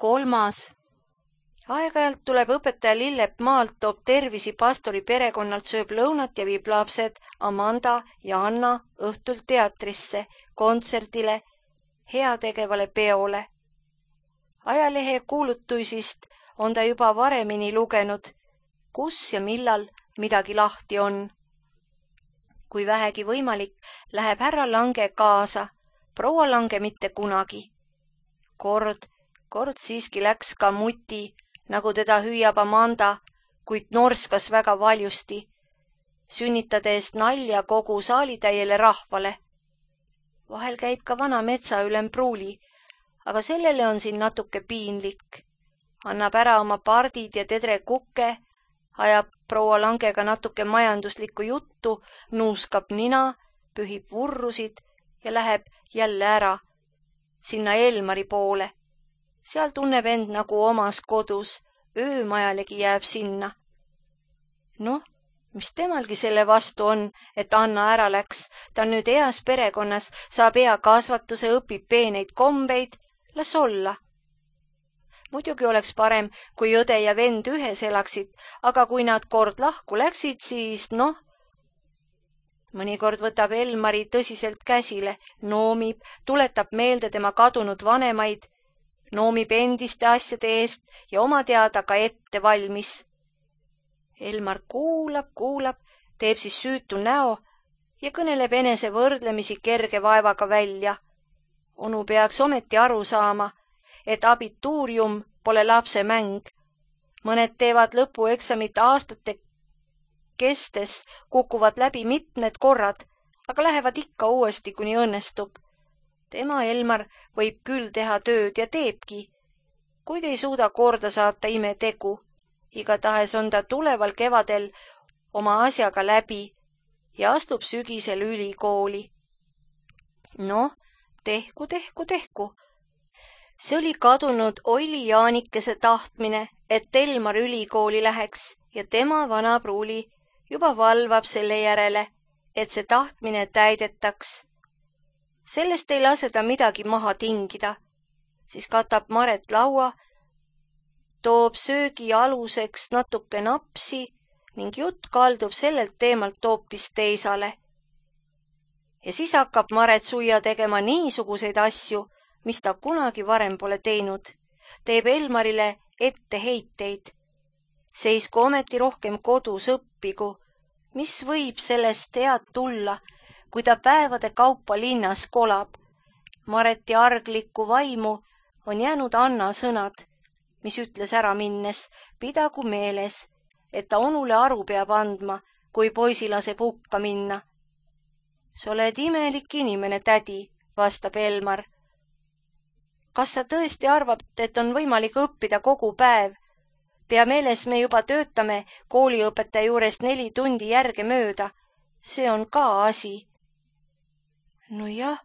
3. Aeg-ajalt tuleb õpetaja Lillep maalt, toob tervisi pastori perekonnalt, sööb lõunat ja viib lapsed Amanda ja Anna õhtul teatrisse, kontserdile, heategevale peole. Ajalehe kuulutuisist on ta juba varemini lugenud, kus ja millal midagi lahti on. Kui vähegi võimalik, läheb härra Lange kaasa, proua Lange mitte kunagi. Kord siiski läks ka muti, nagu teda hüüab Amanda, kuid norskas väga valjusti, sünnitades nalja kogu saalitäiele rahvale. Vahel käib ka vana metsaülem Pruuli, aga sellele on siin natuke piinlik. Annab ära oma pardid ja tedre kukke, ajab proua Langega natuke majanduslikku juttu, nuuskab nina, pühib vurrusid ja läheb jälle ära, sinna Elmari poole. Seal tunneb end nagu omas kodus, öömajalegi jääb sinna. Noh, mis temalgi selle vastu on, et Anna ära läks, ta on nüüd eas perekonnas, saab hea kasvatuse, õpib peeneid kombeid, las olla. Muidugi oleks parem, kui õde ja vend ühes elaksid, aga kui nad kord lahku läksid, siis noh. Mõnikord võtab Elmari tõsiselt käsile, noomib, tuletab meelde tema kadunud vanemaid, noomib endiste asjade eest ja oma teada ka ette valmis. Elmar kuulab, teeb siis süütu näo ja kõneleb enese võrdlemisi kerge vaevaga välja. Onu peaks ometi aru saama, et abituurium pole lapse mäng. Mõned teevad lõpueksamit aastate kestes, kukuvad läbi mitmed korrad, aga lähevad ikka uuesti, kuni õnnestub. Tema Elmar võib küll teha tööd ja teebki, kuid ei suuda korda saata imetegu. Igatahes on ta tuleval kevadel oma asjaga läbi ja astub sügisel ülikooli. Noh, tehku. See oli kadunud Oili Jaanikese tahtmine, et Elmar ülikooli läheks ja tema vana Pruuli juba valvab selle järele, et see tahtmine täidetaks. Sellest ei lase ta midagi maha tingida. Siis katab Maret laua, toob söögi aluseks natuke napsi ning jutt kaldub sellelt teemalt hoopis teisale. Ja siis hakkab Maret suia tegema niisuguseid asju, mis ta kunagi varem pole teinud. Teeb Elmarile etteheiteid. Seisku ometi rohkem kodus õppigu. Mis võib sellest head tulla, kui ta päevade kaupa linnas kolab? Mareti arglikku vaimu on jäänud Anna sõnad, mis ütles ära minnes, pidagu meeles, et ta onule aru peab andma, kui poisi laseb hukka minna. Sa oled imelik inimene, tädi, vastab Elmar. Kas sa tõesti arvad, et on võimalik õppida kogu päev? Pea meeles, me juba töötame kooliõpetaja juurest 4 tundi järge mööda. See on ka asi. No jah,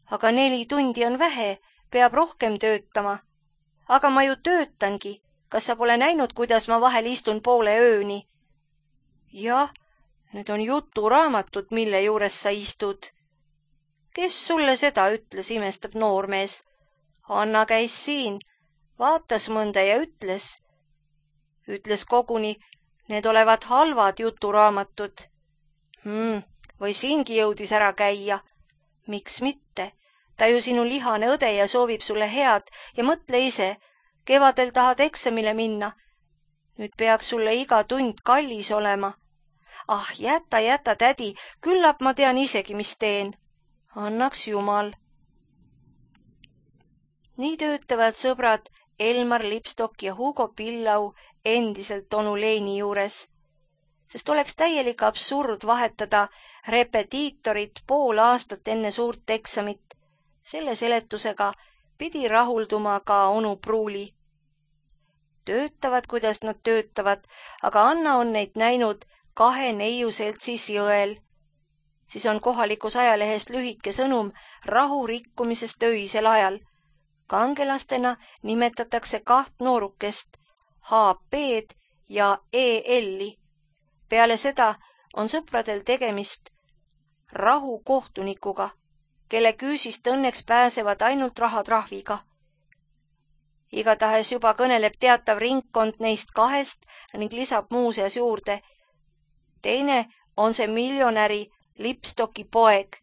aga 4 tundi on vähe, peab rohkem töötama. Aga ma ju töötangi. Kas sa pole näinud, kuidas ma vahel istun poole ööni? Jah, need on juturaamatud, mille juures sa istud. Kes sulle seda ütles, imestab noormees. Anna käis siin, vaatas mõnda ja ütles koguni, need olevat halvad juturaamatud. Või siingi jõudis ära käia. Miks mitte? Ta ju sinu lihane õde ja soovib sulle head ja mõtle ise, kevadel tahad eksamile minna. Nüüd peaks sulle iga tund kallis olema. Ah, jäta, tädi, küllap ma tean isegi, mis teen. Annaks Jumal. Nii töötavad sõbrad Elmar Lipstok ja Hugo Pillau endiselt onu Leini juures, sest oleks täielik absurd vahetada repetiitorit pool aastat enne suurt eksamit. Selle seletusega pidi rahulduma ka onu Pruuli. Töötavad, kuidas nad töötavad, aga Anna on neid näinud 2 neiuseltsis jõel. Siis on kohalikus ajalehest lühike sõnum rahu rikkumisest öisel ajal. Kangelastena nimetatakse 2 noorukest, HP-d ja EL-i. Peale seda on sõpradel tegemist rahukohtunikuga, kelle küüsist õnneks pääsevad ainult rahatrahviga. Igatahes juba kõneleb teatav ringkond neist kahest ning lisab muuseas juurde. Teine on see miljonäri Lipstocki poeg.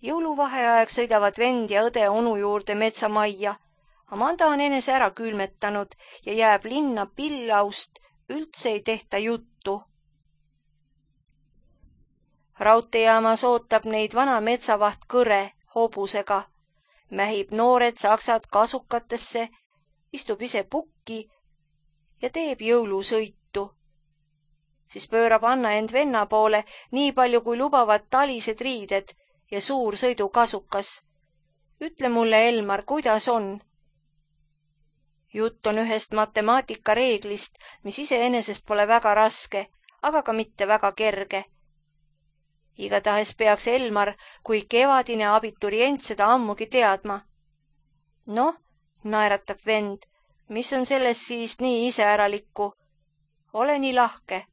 Jõuluvaheaeg sõidavad vend ja õde onu juurde metsamajja. Amanda on enese ära külmetanud ja jääb linna pillaust, üldse ei tehta juttu. Raudteejaamas ootab neid vana metsavaht Kõre hobusega. Mähib noored saksad kasukatesse, istub ise pukki ja teeb jõulusõitu. Siis pöörab Anna end venna poole nii palju, kui lubavad talised riided ja suur sõidukasukas. Ütle mulle, Elmar, kuidas on? Jutt on ühest matemaatikareeglist, mis iseenesest pole väga raske, aga ka mitte väga kerge. Igatahes peaks Elmar kui kevadine abiturient seda ammugi teadma. Noh, naeratab vend, mis on selles siis nii iseäralikku? Ole nii lahke.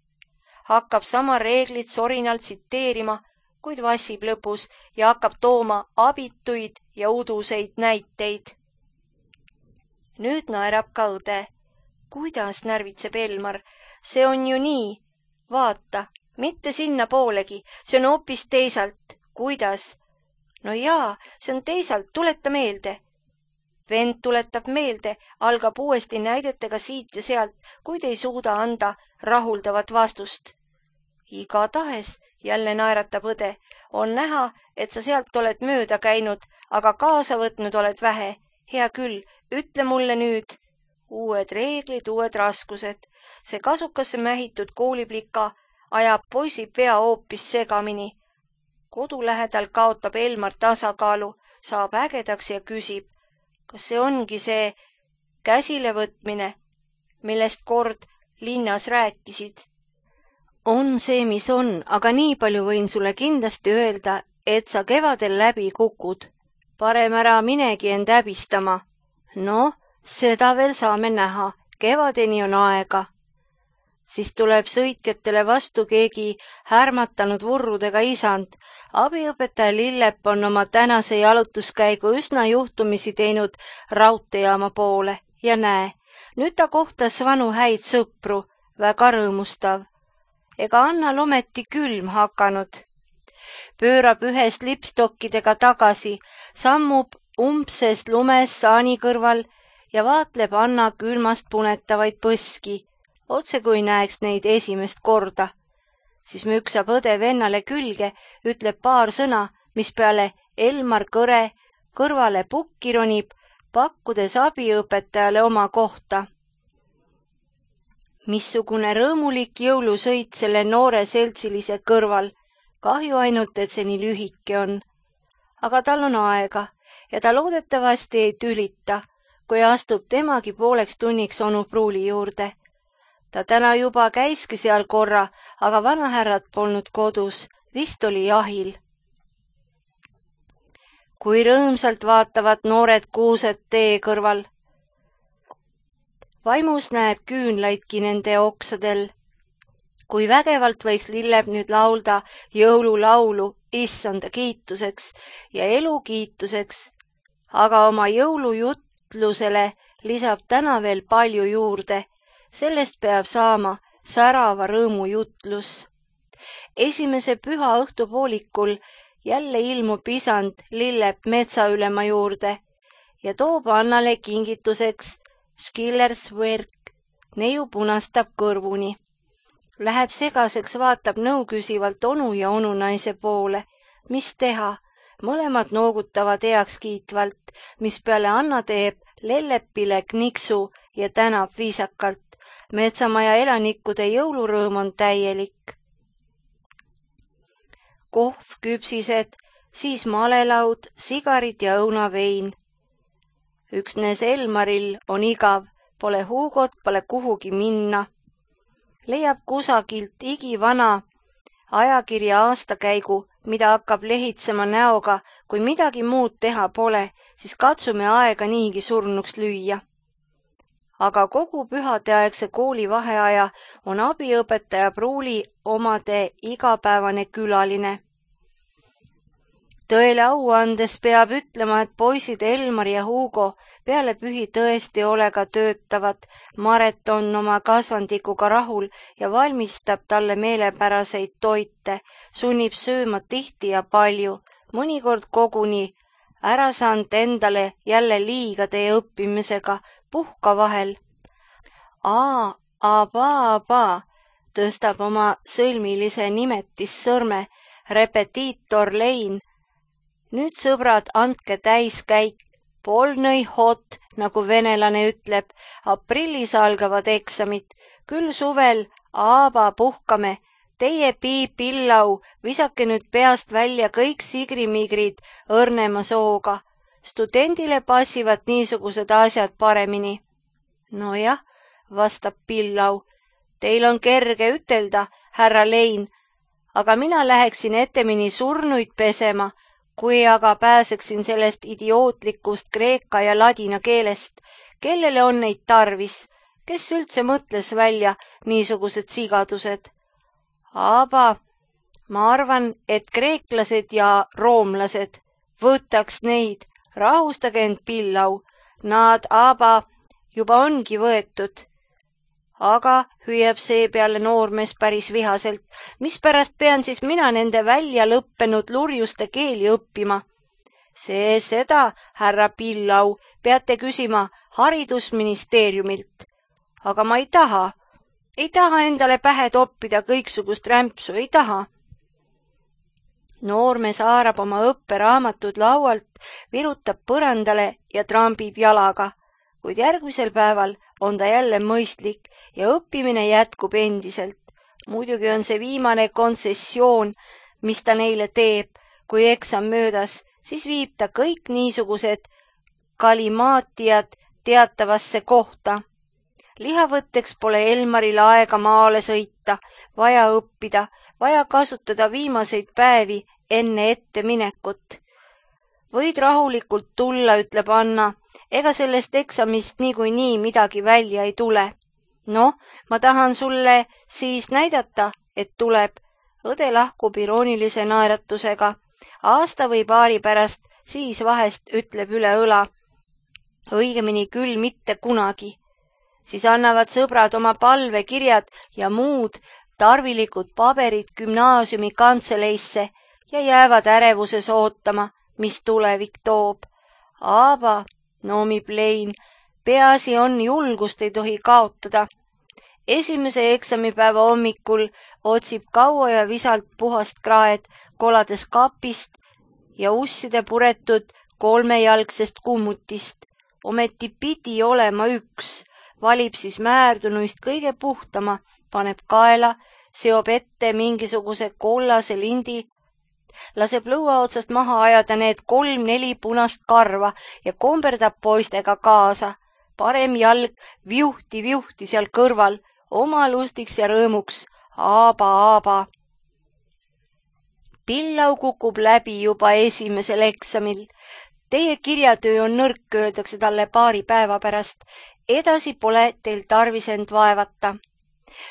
Hakkab sama reeglit sorinalt tsiteerima, kuid vassib lõpus ja hakkab tooma abituid ja uduseid näiteid. Nüüd naerab ka õde. Kuidas, närvitseb Elmar, see on ju nii. Vaata, mitte sinna poolegi, see on hoopis teisalt. Kuidas? No jaa, see on teisalt, tuleta meelde. Vend tuletab meelde, algab uuesti näidetega siit ja sealt, kuid ei suuda anda rahuldavat vastust. Igatahes, jälle naeratab õde, on näha, et sa sealt oled mööda käinud, aga kaasa võtnud oled vähe. Hea küll, ütle mulle nüüd. Uued reeglid, uued raskused. See kasukasse mähitud kooliplika ajab poisi pea hoopis segamini. Kodu lähedal kaotab Elmar tasakaalu, saab ägedaks ja küsib, kas see ongi see käsilevõtmine, millest kord linnas rääkisid? On see, mis on, aga nii palju võin sulle kindlasti öelda, et sa kevadel läbi kukud. Parem ära minegi end häbistama. No, seda veel saame näha, kevadeni on aega. Siis tuleb sõitjatele vastu keegi härmatanud vurrudega isand. Abiõpetaja Lillep on oma tänase jalutuskäigu üsna juhtumisi teinud raudteejaama poole ja näe, nüüd ta kohtas vanu häid sõpru, väga rõõmustav. Ega Annal ometi külm hakanud. Pöörab ühest lipstokkidega tagasi, sammub umbsest lumes saani kõrval ja vaatleb Anna külmast punetavaid põski, otse kui näeks neid esimest korda. Siis müksab õde vennale külge, ütleb paar sõna, mis peale Elmar Kõre kõrvale pukki ronib, pakkudes abiõpetajale oma kohta. Missugune rõõmulik jõulusõit selle noore seltsilise kõrval, kahju ainult, et see nii lühike on. Aga tal on aega ja ta loodetavasti ei tülita, kui astub temagi pooleks tunniks onu pruuli juurde. Ta täna juba käiski seal korra, aga vanahärrad polnud kodus, vist oli jahil. Kui rõõmsalt vaatavad noored kuused tee kõrval. Vaimus näeb küünlaidki nende oksadel. Kui vägevalt võiks Lillep nüüd laulda jõululaulu issanda kiituseks ja elu kiituseks, aga oma jõulujutlusele lisab täna veel palju juurde. Sellest peab saama särava rõõmu jutlus. Esimese püha õhtupoolikul jälle ilmub isand Lillep metsaülema juurde ja toob Annale kingituseks Skillerswerk, neiu punastab kõrvuni. Läheb segaseks, vaatab nõuküsivalt onu ja onunaise poole. Mis teha? Mõlemad noogutavad heakskiitvalt, mis peale Anna teeb Lellepile kniksu ja tänab viisakalt. Metsamaja elanikkude jõulurõõm on täielik. Kohv, küpsised, siis malelaud, sigarid ja õunavein. Üksnes Elmaril on igav, pole Hugot, pole kuhugi minna. Leiab kusagilt igivana ajakirja aastakäigu, mida hakkab lehitsema näoga, kui midagi muud teha pole, siis katsume aega niigi surnuks lüüa. Aga kogu pühadeaegse kooli vaheaja on abiõpetaja pruuli omade igapäevane külaline. Tõele au andes peab ütlema, et poisid Elmar ja Hugo peale pühi tõesti ole ka töötavad. Maret on oma kasvandikuga rahul ja valmistab talle meelepäraseid toite, sunnib sööma tihti ja palju, mõnikord koguni. Ära saanud endale jälle liiga teie õppimisega, puhka vahel. Aba, tõstab oma sõlmilise nimetissõrme repetiitor Lein. Nüüd, sõbrad, andke täiskäik. Polnõi hot, nagu venelane ütleb, aprillis algavad eksamid. Küll suvel, aba, puhkame. Teie Pillau, visake nüüd peast välja kõik sigrimigrid õrnema sooga. Studendile passivad niisugused asjad paremini. Nojah, vastab Pillau. Teil on kerge ütelda, härra Lein, aga mina läheksin etemini surnuid pesema, kui aga pääseksin sellest idiootlikust kreeka ja ladina keelest. Kellele on neid tarvis? Kes üldse mõtles välja niisugused sigadused? Aba, ma arvan, et kreeklased ja roomlased, võtaks neid, rahustage end, Pillau. Nad, aba, juba ongi võetud. Aga hüüab seepeale noormees päris vihaselt, mispärast pean siis mina nende välja lõppenud lurjuste keeli õppima? Seda, härra Pillau, peate küsima haridusministeeriumilt. Aga ma ei taha endale pähe toppida kõiksugust rämpsu, ei taha. Noormees haarab oma õpperaamatud laualt, virutab põrandale ja trambib jalaga, kuid järgmisel päeval on ta jälle mõistlik ja õppimine jätkub endiselt. Muidugi on see viimane kontsessioon, mis ta neile teeb, kui eksam möödas, siis viib ta kõik niisugused kalimaatiad teatavasse kohta. Lihavõtteks pole Elmaril aega maale sõita, vaja õppida, vaja kasutada viimaseid päevi enne etteminekut. Võid rahulikult tulla, ütleb Anna, ega sellest eksamist niikuinii midagi välja ei tule. Noh, ma tahan sulle siis näidata, et tuleb. Õde lahkub iroonilise naeratusega. Aasta või paari pärast, siis vahest ütleb üle õla. Õigemini küll mitte kunagi. Siis annavad sõbrad oma palvekirjad ja muud tarvilikud paberid gümnaasiumi kantseleisse ja jäävad ärevuses ootama, mis tulevik toob. Aba, noomib Lein, peaasi on, julgust ei tohi kaotada. Esimese eksamipäeva hommikul otsib kaua ja visalt puhast kraed, kolades kapist ja usside puretud kolmejalgsest kummutist. Ometi pidi olema üks. Valib siis määrdunuist kõige puhtama, paneb kaela, seob ette mingisuguse kollase lindi, laseb lõua otsast maha ajada need 3-4 punast karva ja komberdab poistega kaasa. Parem jalg viuhti seal kõrval, oma lustiks ja rõõmuks. Aba. Pillau kukub läbi juba esimesel eksamil. Teie kirjatöö on nõrk, öeldakse talle paari päeva pärast. Edasi pole teil tarvis end vaevata.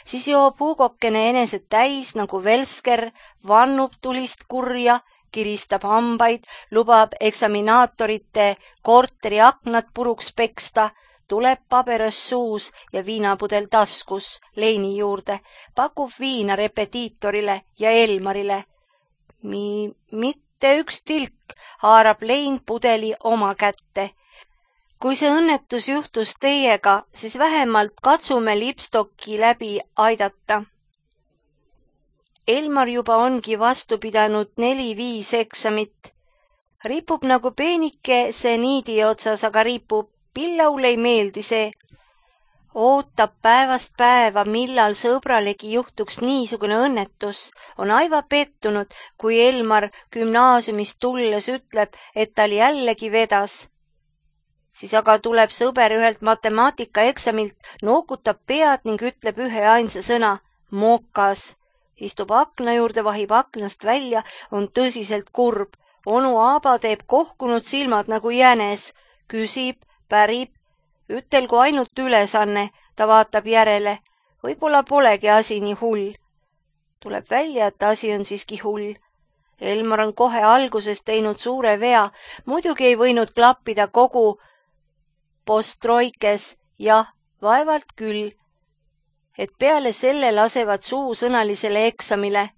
Siis joob Hugokene eneset täis nagu velsker, vannub tulist kurja, kiristab hambaid, lubab eksaminaatorite korteri aknad puruks peksta, tuleb paberas suus ja viinapudel taskus Leini juurde, pakub viina repetiitorile ja Elmarile. Mitte üks tilk, haarab Lein pudeli oma kätte. Kui see õnnetus juhtus teiega, siis vähemalt katsume lipstokki läbi aidata. Elmar juba ongi vastu pidanud 4-5 eksamit. Ripub nagu peenike seniidi otsas, aga ripub. Pillaule ei meeldi see. Ootab päevast päeva, millal sõbralegi juhtuks niisugune õnnetus. On aiva pettunud, kui Elmar gümnaasiumist tulles ütleb, et tal jällegi vedas. Siis aga tuleb sõber ühelt matemaatikaeksamilt, nookutab pead ning ütleb ühe ainsa sõna, mokas. Istub akna juurde, vahib aknast välja, on tõsiselt kurb. Onu Aaba teeb kohkunud silmad nagu jänes, küsib, pärib, ütelgu ainult ülesanne, ta vaatab järele. Võib-olla polegi asi nii hull. Tuleb välja, et asi on siiski hull. Elmar on kohe alguses teinud suure vea, muidugi ei võinud klappida kogu postroikes, jah, vaevalt küll, et peale selle lasevad suusõnalisele eksamile.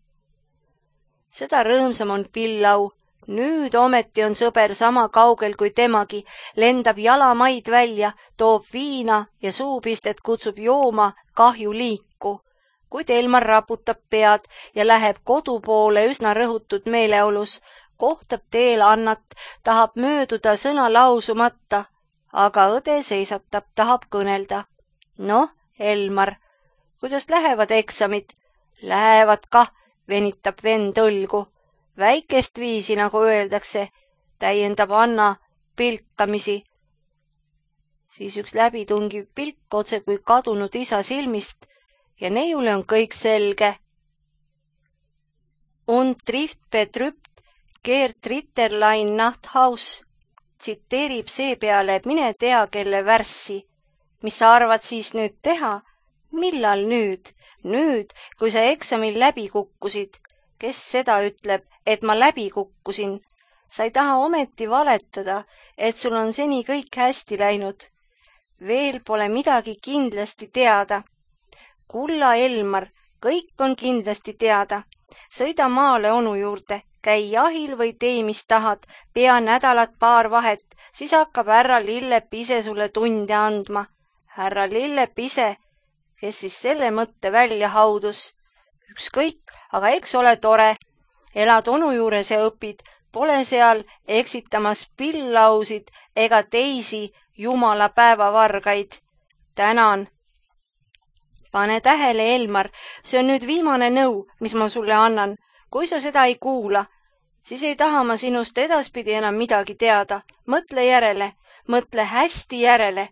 Seda rõõmsam on Pillau. Nüüd ometi on sõber sama kaugel kui temagi, lendab jalamaid välja, toob viina ja suupistet kutsub jooma kahjuliiku. Kuid Elmar raputab pead ja läheb kodu poole üsna rõhutud meeleolus, kohtab teel Annat, tahab mööduda sõna lausumata, aga õde seisatab, tahab kõnelda. Noh, Elmar, kuidas lähevad eksamid? Lähevad kah, venitab vend õlgu. Väikest viisi, nagu öeldakse, täiendab Anna pilkamisi. Siis üks läbitungiv pilk otse kui kadunud isa silmist ja neiule on kõik selge. Und trifft betrübt Gerd Ritterlein Nachthaus tsiteerib seepeale mine tea kelle värssi. Mis sa arvad siis nüüd teha? Millal nüüd? Nüüd, kui sa eksamil läbi kukkusid. Kes seda ütleb, et ma läbi kukkusin? Sa ei taha ometi valetada, et sul on seni kõik hästi läinud. Veel pole midagi kindlasti teada. Kulla Elmar, kõik on kindlasti teada. Sõida maale onu juurde, käi jahil või tee, mis tahad, pea nädalat paar vahet, siis hakkab härra Lillep ise sulle tunde andma. Härra Lillep ise, kes siis selle mõtte välja haudus. Ükskõik, aga eks ole tore. Elad onu juures ja õpid, pole seal eksitamas Pillausid ega teisi jumala päevavargaid. Tänan. Pane tähele, Elmar, see on nüüd viimane nõu, mis ma sulle annan. Kui sa seda ei kuula, siis ei taha ma sinust edaspidi enam midagi teada. Mõtle järele, mõtle hästi järele.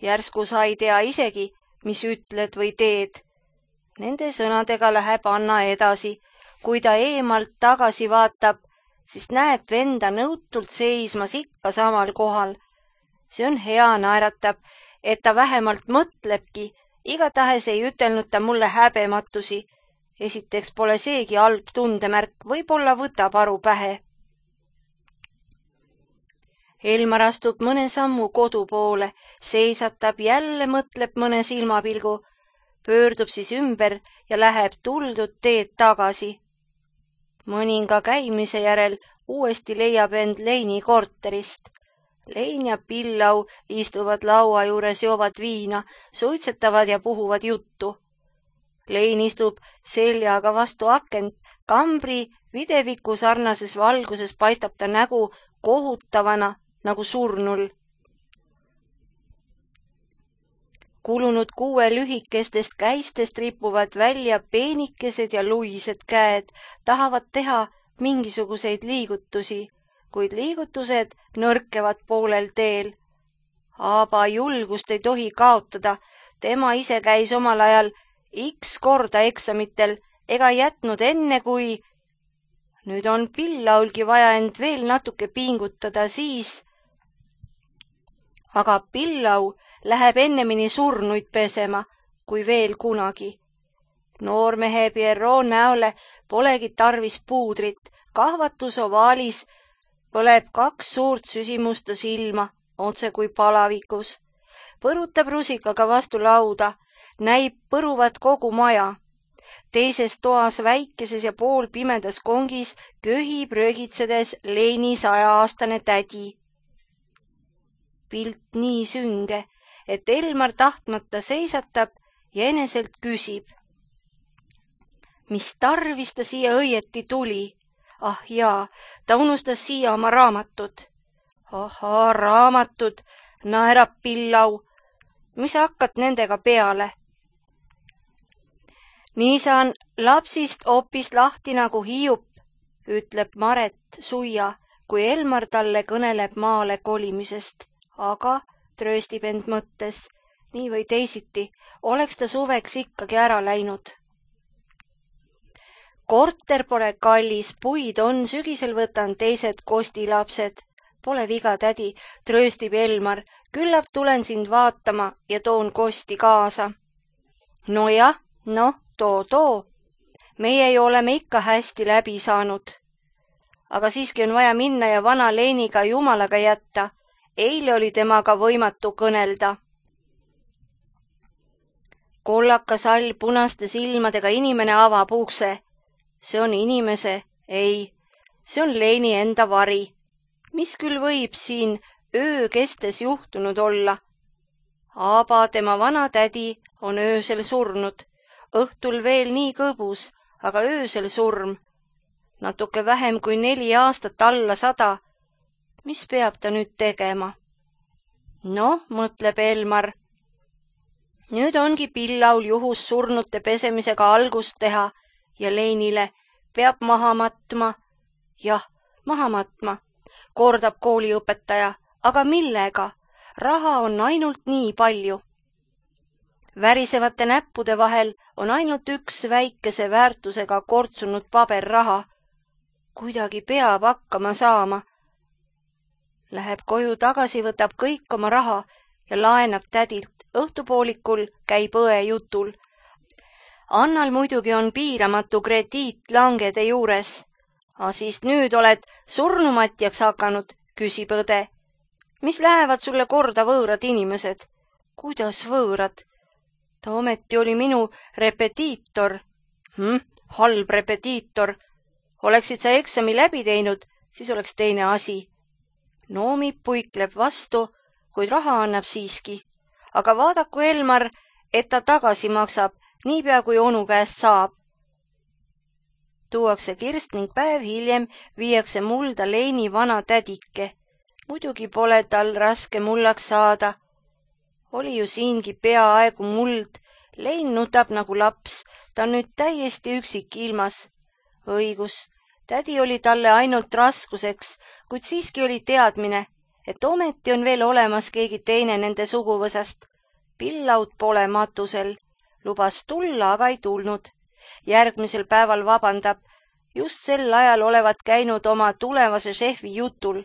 Järsku sa ei tea isegi, mis ütled või teed. Nende sõnadega läheb Anna edasi. Kui ta eemalt tagasi vaatab, siis näeb venda nõutult seismas ikka samal kohal. See on hea, naeratab, et ta vähemalt mõtlebki. Igatahes ei ütelnud ta mulle häbematusi. Esiteks pole seegi halb tundemärk, võib-olla võtab aru pähe. Elmar astub mõne sammu kodu poole, seisatab, jälle mõtleb mõne silmapilgu, pöördub siis ümber ja läheb tuldud teed tagasi. Mõninga käimise järel uuesti leiab end Leini korterist. Lein ja Pillau istuvad laua juures, joovad viina, suitsetavad ja puhuvad juttu. Lein istub seljaga vastu akent, kambri videviku sarnases valguses paistab ta nägu kohutavana nagu surnul. Kulunud 6 lühikestest käistest ripuvad välja peenikesed ja luised käed, tahavad teha mingisuguseid liigutusi, kuid liigutused nõrkevad poolel teel. Aaba julgust ei tohi kaotada, tema ise käis omal ajal X korda eksamitel ega jätnud enne, kui nüüd on Pillaulgi vaja end veel natuke pingutada, siis aga Pillau läheb ennemini surnuid pesema, kui veel kunagi. Noormehe Pierrot näole polegi tarvis puudrit, kahvatus ovaalis põleb 2 suurt süsimusta silma, otse kui palavikus. Põrutab rusikaga vastu lauda, näib põruvat kogu maja. Teises toas väikeses ja poolpimedas kongis köhib röögitsedes Leini 100-aastane tädi. Pilt nii sünge, et Elmar tahtmata seisatab ja eneselt küsib. Mis tarvis ta siia õieti tuli? Ah jaa, ta unustas siia oma raamatud. Ahaa, raamatud, naerab Pillau. Mis sa hakkad nendega peale? Nii saan lapsist hoopis lahti nagu hiiup, ütleb Maret suia, kui Elmar talle kõneleb maale kolimisest. Aga trööstib end mõttes, nii või teisiti, oleks ta suveks ikkagi ära läinud. Korter pole kallis, puid on, sügisel võtan teised kostilapsed. Pole viga, tädi, trööstib Elmar, küllap tulen sind vaatama ja toon kosti kaasa. Nojah, too. Meie ju oleme ikka hästi läbi saanud. Aga siiski on vaja minna ja vana Leiniga jumalaga jätta. eile oli temaga võimatu kõnelda. Kollakas all punaste silmadega inimene avab ukse. See on inimese, ei, see on Leini enda vari. Mis küll võib siin öö kestes juhtunud olla? Aba, tema vana tädi, on öösel surnud. Õhtul veel nii kõbus, aga öösel surm. Natuke vähem kui 4 aastat alla 100. Mis peab ta nüüd tegema? Noh, mõtleb Elmar. Nüüd ongi Pillaul juhus surnute pesemisega algust teha ja Leinile peab maha matma. Jah, maha matma, kordab kooliõpetaja, aga millega? Raha on ainult nii palju. Värisevate näppude vahel on ainult üks väikese väärtusega kortsunud paberraha. Kuidagi peab hakkama saama. Läheb koju tagasi, võtab kõik oma raha ja laenab tädilt. Õhtupoolikul käib õe jutul. Annal muidugi on piiramatu krediit langede juures. Siis nüüd oled surnumatjaks hakanud, küsib õde. Mis lähevad sulle korda võõrad inimesed? Kuidas võõrad? Ta ometi oli minu repetiitor. Halb repetiitor. Oleksid sa eksami läbi teinud, siis oleks teine asi. Noomi puikleb vastu, kuid raha annab siiski. Aga vaadaku Elmar, et ta tagasi maksab, niipea kui onu käest saab. Tuuakse kirst ning päev hiljem viiakse mulda Leini vana tädike. Muidugi pole tal raske mullaks saada. Oli ju siingi peaaegu muld. Lein nutab nagu laps. Ta on nüüd täiesti üksik ilmas. Õigus, tädi oli talle ainult raskuseks, kuid siiski oli teadmine, et ometi on veel olemas keegi teine nende suguvõsast. Pillaud pole matusel. Lubas tulla, aga ei tulnud. Järgmisel päeval vabandab. Just sel ajal olevat käinud oma tulevase šefi jutul.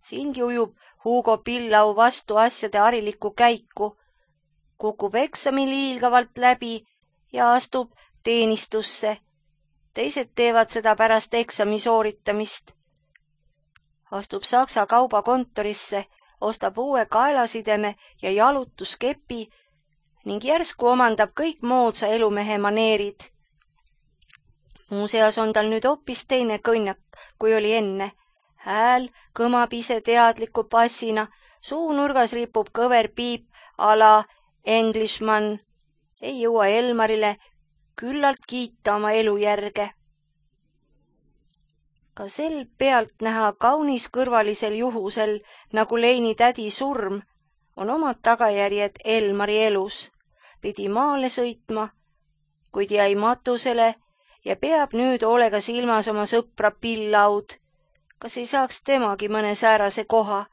Siingi ujub Hugo Pillau vastu asjade harilikku käiku. Kukub eksamil hiilgavalt läbi ja astub teenistusse. Teised teevad seda pärast eksami sooritamist. Astub Saksa kaubakontorisse, ostab uue kaelasideme ja jalutuskepi ning järsku omandab kõik moodsa elumehe maneerid. Muuseas on tal nüüd hoopis teine kõnnak, kui oli enne. Hääl kõmab ise teadliku passina, suunurgas ripub kõver piip ala Englishman. Ei jõua Elmarile küllalt kiita oma elu järge. Ka sel pealt näha kaunis kõrvalisel juhusel, nagu Leini tädi surm, on omad tagajärjed Elmari elus. Pidi maale sõitma, kuid jäi matusele ja peab nüüd hoolega silmas oma sõpra Pillaud. Kas ei saaks temagi mõne säärase koha?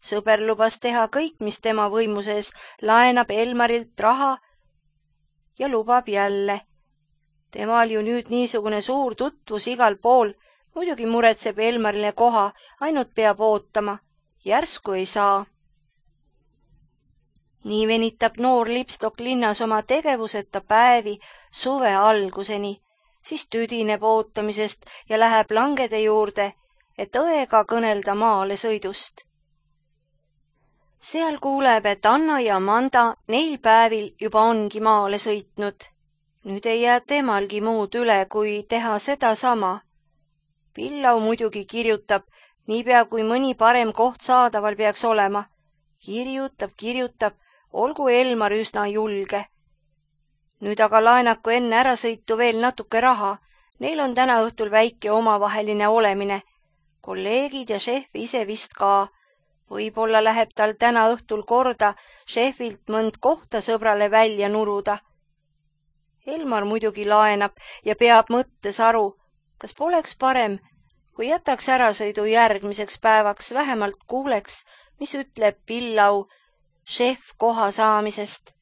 Sõber lubas teha kõik, mis tema võimuses, laenab Elmarilt raha ja lubab jälle. Temal ju nüüd niisugune suur tutvus igal pool, muidugi muretseb Elmarile koha, ainult peab ootama. Järsku ei saa. Nii venitab noor lipstok linnas oma tegevuseta päevi suve alguseni, siis tüdineb ootamisest ja läheb langede juurde, et õega kõnelda maale sõidust. Seal kuuleb, et Anna ja Amanda neil päevil juba ongi maale sõitnud. Nüüd ei jää temalgi muud üle, kui teha seda sama. Pillau muidugi kirjutab, niipea kui mõni parem koht saadaval peaks olema. Kirjutab, olgu Elmar üsna julge. Nüüd aga laenaku enne ärasõitu veel natuke raha. Neil on täna õhtul väike omavaheline olemine. Kolleegid ja šef ise vist ka. Võib-olla läheb tal täna õhtul korda šefilt mõnd kohta sõbrale välja nuruda. Elmar muidugi laenab ja peab mõttes aru, kas poleks parem, kui jätaks ärasõidu järgmiseks päevaks, vähemalt kuuleks, mis ütleb Pillau šef koha saamisest.